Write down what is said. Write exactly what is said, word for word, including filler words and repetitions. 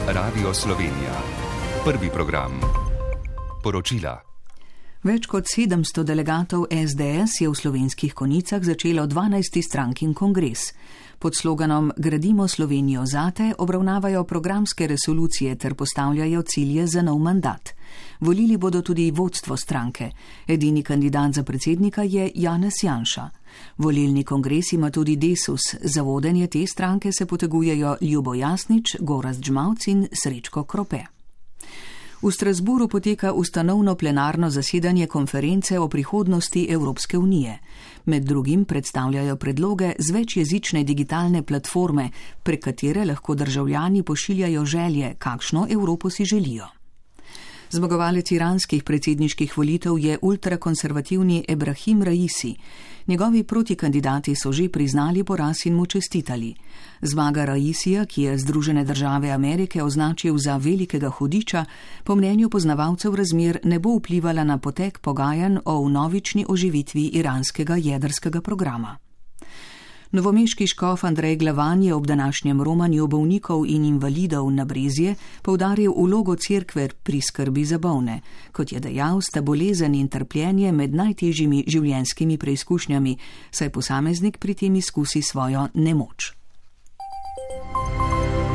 Radio Slovenija. Prvi program. Poročila. Več kot sedemsto delegatov es de es je v Slovenskih Konjicah začelo dvanajsti strankin kongres. Pod sloganom Gradimo Slovenijo zate obravnavajo programske resolucije ter postavljajo cilje za nov mandat. Volili bodo tudi vodstvo stranke. Edini kandidat za predsednika je Janez Janša. Volilni kongres ima tudi Desus. Za vodenje te stranke se potegujejo Ljubo Jasnič, Gorazd Žmavc in Srečko Krope. V Strasburu poteka ustanovno plenarno zasedanje konference o prihodnosti Evropske unije. Med drugim predstavljajo predloge z večjezične digitalne platforme, prek katere lahko državljani pošiljajo želje, kakšno Evropo si želijo. Zmagovalec iranskih predsedniških volitev je ultrakonservativni Ebrahim Raisi. Njegovi protikandidati so že priznali poraz in mu čestitali. Zmaga Raisija, ki je Združene države Amerike označil za velikega hudiča, po mnenju poznavalcev razmer ne bo vplivala na potek pogajanj o vnovični oživitvi iranskega jedrskega programa. Novomeški škof Andrej Glavan je ob današnjem romanju bolnikov in invalidov na Brezje poudaril vlogo cerkve pri skrbi za bolne. Kot je dejal, sta bolezen in trpljenje med najtežjimi življenjskimi preizkušnjami, saj posameznik pri tem izkusi svojo nemoč.